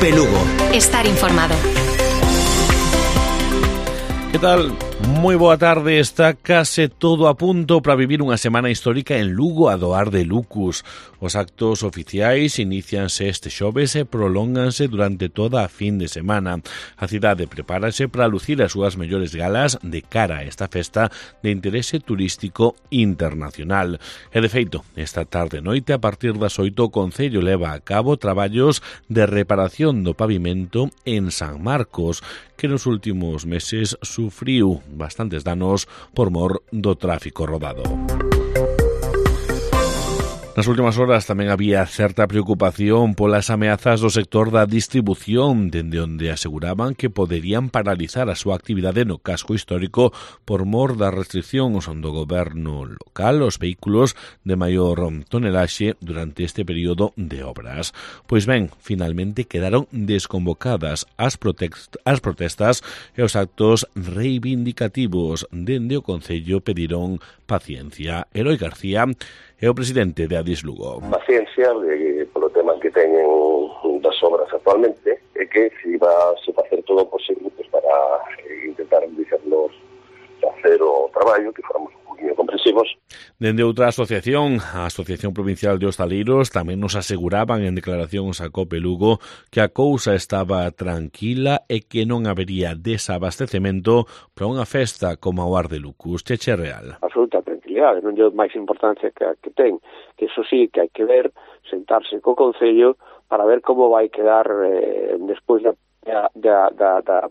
COPE Lugo. Estar informado. Que tal? Moi boa tarde, está case todo a punto para vivir unha semana histórica en Lugo a doar de Lucus. Os actos oficiais inicianse este xoves e prolónganse durante toda a fin de semana. A cidade prepárase para lucir as súas mellores galas de cara a esta festa de interese turístico internacional. E de feito, esta tarde e noite, a partir das 8, o Concello leva a cabo traballos de reparación do pavimento en San Marcos, que nos últimos meses sufriu bastantes danos por mor do tráfico rodado. Nas últimas horas tamén había certa preocupación polas ameazas do sector da distribución, dende onde aseguraban que poderían paralizar a súa actividade no casco histórico por mor das restriccións do goberno local aos vehículos de maior tonelaxe durante este período de obras. Pois ben, finalmente quedaron desconvocadas as protestas e os actos reivindicativos. Dende o Concello pediron paciencia. Eloi García é o presidente de Adis Lugo. Paciencia polo tema que teñen das obras actualmente e que se iba a facer todo o posible para intentar dixernos facer o traballo, que fóramos un poquinho comprensivos. Dende outra asociación, a Asociación Provincial de Hostaleiros, tamén nos aseguraban en declaracións a COPE Lugo que a cousa estaba tranquila e que non habería desabastecemento para unha festa como a Ar de Lucus. Cheche Real. Absoluta tranquilidade, non lle máis importancia que ten, que eso sí, que hai que ver, sentarse co Concello para ver como vai quedar despois da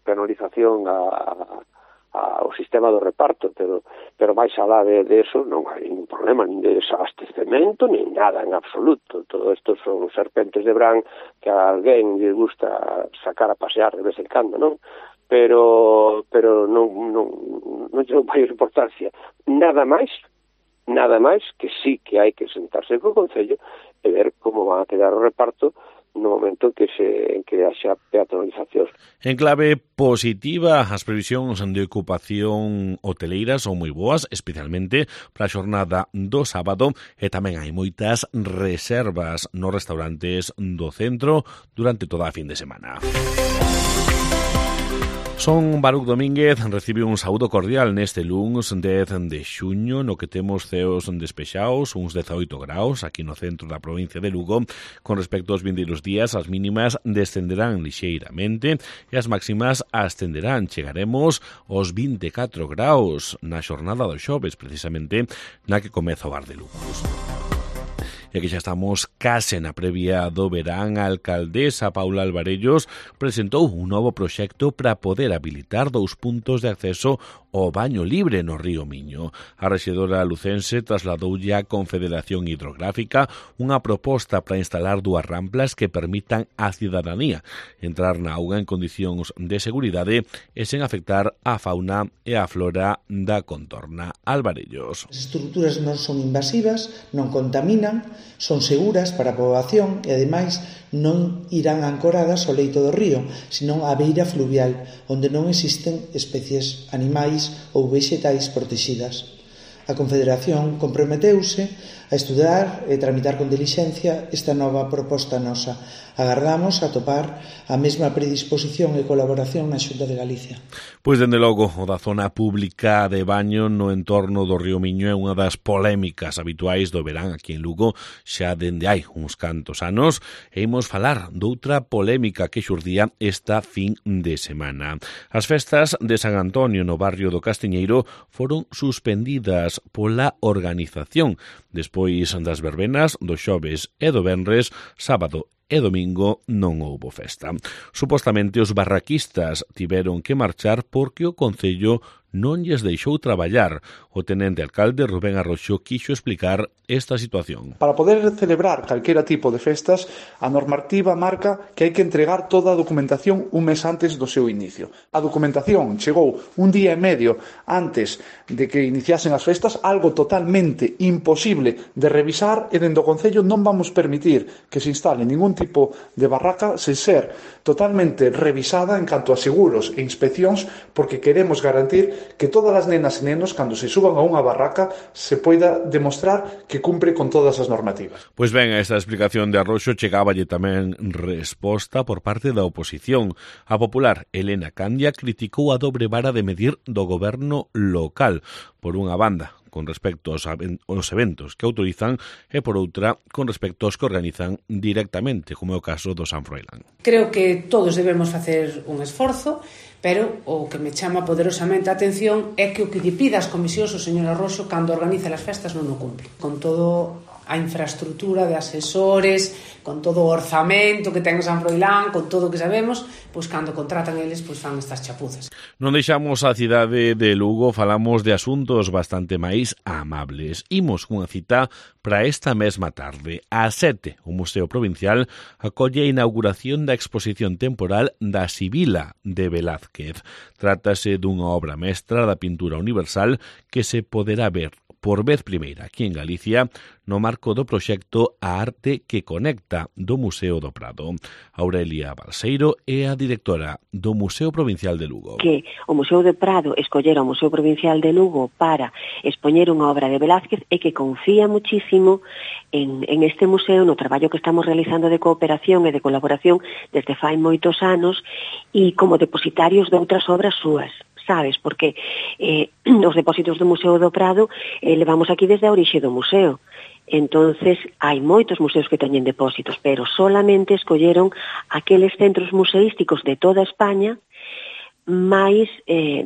penalización ao sistema do reparto, pero máis alá de eso non hai ningún problema, nin de desabastecemento, nin nada en absoluto. Todo isto son serpentes de Bran que a alguén lle gusta sacar a pasear de vez en cando, non? Pero non lle dou máis importancia. Nada máis que sí que hai que sentarse co Concello e ver como van a quedar o reparto no momento en que haxa peatonalizacións. En clave positiva, as previsións de ocupación hoteleira son moi boas, especialmente para a xornada do sábado, e tamén hai moitas reservas nos restaurantes do centro durante toda a fin de semana. Son Baruc Domínguez, recibe un saúdo cordial neste luns 10 de xuño, no que temos ceos despexados, uns 18 graus, aquí no centro da provincia de Lugo. Con respecto aos vindeiros días, as mínimas descenderán lixeiramente e as máximas ascenderán. Chegaremos aos 24 graus na xornada do xoves, precisamente na que comeza o Ar de Lucus. E aquí xa estamos case na previa do verán, a alcaldesa Paula Alvarellos presentou un novo proxecto para poder habilitar 2 puntos de acceso ao baño libre no río Miño. A rexedora lucense trasladoulle á Confederación Hidrográfica unha proposta para instalar 2 ramplas que permitan á cidadanía entrar na auga en condicións de seguridade e sen afectar a fauna e a flora da contorna. Alvarellos. As estruturas non son invasivas, non contaminan, son seguras para a poboación e, ademais, non irán ancoradas ao leito do río, senón á beira fluvial, onde non existen especies animais ou vexetais protegidas. A Confederación comprometeuse a estudar e tramitar con dilixencia esta nova proposta nosa. Agardamos atopar a mesma predisposición e colaboración na Xunta de Galicia. Pois, dende logo, o da zona pública de baño no entorno do río Miño é unha das polémicas habituais do verán aquí en Lugo xa dende hai uns cantos anos, e imos falar doutra polémica que xurdía esta fin de semana. As festas de San Antonio no barrio do Castiñeiro foron suspendidas pola organización despois das verbenas do xoves e do venres, sábado e domingo non houbo festa. Supostamente os barraquistas tiveron que marchar porque o Concello non lles deixou traballar. O tenente alcalde Rubén Arroxo quixo explicar esta situación. Para poder celebrar calquera tipo de festas, a normativa marca que hai que entregar toda a documentación un mes antes do seu inicio. A documentación chegou un día e medio antes de que iniciasen as festas, algo totalmente imposible de revisar, e dende o Concello non vamos permitir que se instale ningún tipo de barraca sen ser totalmente revisada en canto a seguros e inspeccións, porque queremos garantir que todas as nenas e nenos, cando se suban a unha barraca, se poida demostrar que cumpre con todas as normativas. Pois ben, a esta explicación de Arroxo chegáballe tamén resposta por parte da oposición. A popular Elena Candia criticou a dobre vara de medir do goberno local, por unha banda, con respecto aos eventos que autorizan e por outra, con respecto aos que organizan directamente, como é o caso do San Froilán. Creo que todos debemos facer un esforzo, pero o que me chama poderosamente a atención é que o que lle pida as comisións o señor Arroxo cando organiza as festas non o cumpre. Con todo a infraestructura de asesores, con todo o orzamento que ten o San Froilán, con todo o que sabemos, pois cando contratan eles, pois fan estas chapuzas. Non deixamos a cidade de Lugo, falamos de asuntos bastante máis amables. Imos cunha cita para esta mesma tarde. Ás 7, o Museo Provincial acolle a inauguración da exposición temporal da Sibila de Velázquez. Trátase dunha obra mestra da pintura universal que se poderá ver por vez primeira aquí en Galicia no marco do proxecto A Arte que Conecta do Museo do Prado. Aurelia Balseiro é a directora do Museo Provincial de Lugo. Que o Museo do Prado escollera o Museo Provincial de Lugo para expoñer unha obra de Velázquez e que confía muchísimo en este museo, no traballo que estamos realizando de cooperación e de colaboración desde fai moitos anos e como depositarios de outras obras súas. Sabes, porque os depósitos do Museo do Prado levamos aquí desde a orixe do museo. Entonces, hai moitos museos que teñen depósitos, pero solamente escolleron aqueles centros museísticos de toda España máis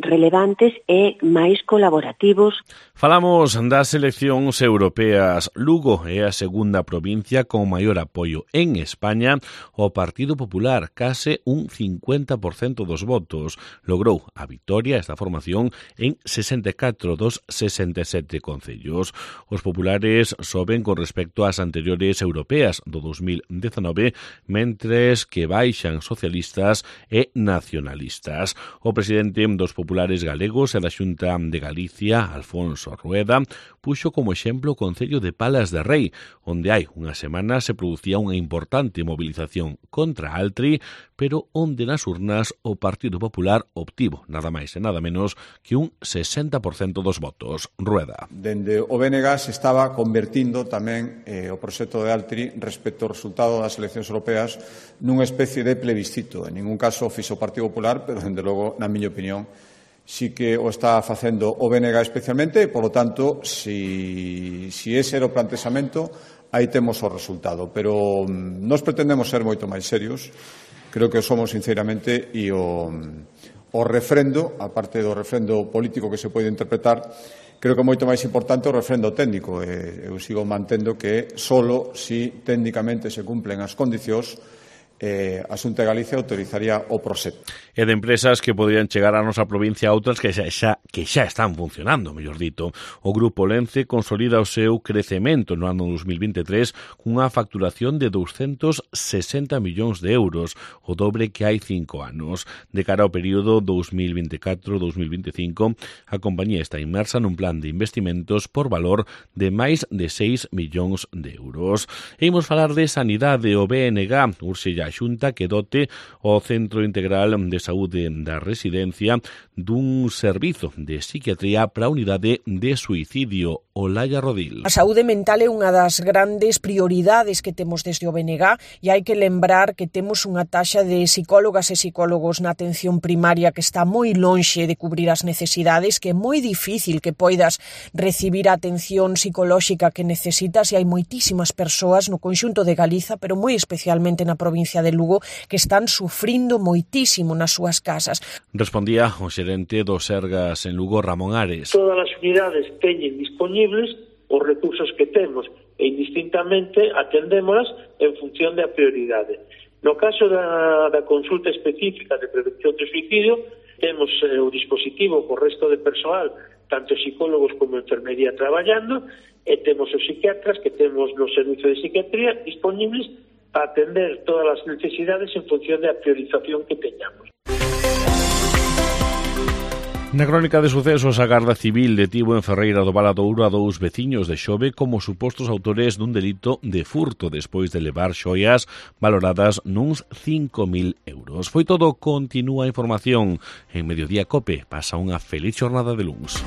relevantes e máis colaborativos. Falamos das eleccións europeas. Lugo é a segunda provincia con maior apoio en España. O Partido Popular, case un 50% dos votos. Logrou a vitoria esta formación en 64 dos 67 concellos. Os populares soben con respecto ás anteriores europeas do 2019, mentres que baixan socialistas e nacionalistas. O presidente dos populares galegos e da Xunta de Galicia, Alfonso Rueda, puxo como exemplo o concello de Palas de Rei, onde hai unha semana se producía unha importante movilización contra Altri, pero onde nas urnas o Partido Popular obtivo nada máis e nada menos que un 60% dos votos. Rueda. Dende o BNG se estaba convertindo tamén o proxecto de Altri respecto ao resultado das eleccións europeas nunha especie de plebiscito. En ningún caso fixo o Partido Popular, pero, dende logo, na miña opinión, sí que o está facendo o BNG especialmente, e, polo tanto, si ese era o plantexamento, aí temos o resultado. Pero nós pretendemos ser moito máis serios, creo que somos sinceramente, e o refrendo, a parte do refrendo político que se pode interpretar, creo que é moito máis importante o refrendo técnico. Eu sigo mantendo que solo si técnicamente se cumplen as condicións a Xunta de Galicia autorizaría o proxecto. E de empresas que poderían chegar á nosa provincia a outras que xa están funcionando, mellor dito. O Grupo Lence consolida o seu crecemento no ano 2023 cunha facturación de 260 millóns de euros, o dobre que hai 5 anos. De cara ao período 2024-2025, a compañía está inmersa nun plan de investimentos por valor de máis de 6 millóns de euros. E imos falar de sanidade. O BNG urxe a Xunta que dote o Centro Integral de Saúde da Residencia dun servizo de psiquiatría para a unidade de suicidio. Olaya Rodil. A saúde mental é unha das grandes prioridades que temos desde o BNG e hai que lembrar que temos unha taxa de psicólogas e psicólogos na atención primaria que está moi lonxe de cubrir as necesidades, que é moi difícil que poidas recibir a atención psicolóxica que necesitas, e hai moitísimas persoas no conxunto de Galiza, pero moi especialmente na provincia de Lugo, que están sufrindo moitísimo nas súas casas. Respondía o xerente do Sergas en Lugo, Ramón Ares. Todas as unidades teñen disponibles os recursos que temos e indistintamente atendémolas en función da prioridade. No caso da consulta específica de prevención de suicidio, temos o dispositivo co resto de persoal, tanto psicólogos como enfermería traballando, e temos os psiquiatras que temos no servicio de psiquiatría disponibles para atender todas as necesidades en función da priorización que teñamos. Na crónica de sucesos, a Garda Civil detivo en Ferreira do Valadouro a 2 veciños de Xove como supostos autores dun delito de furto despois de levar xoias valoradas nuns 5.000 euros. Foi todo, continúa a información. En Mediodía Cope pasa unha feliz xornada de luns.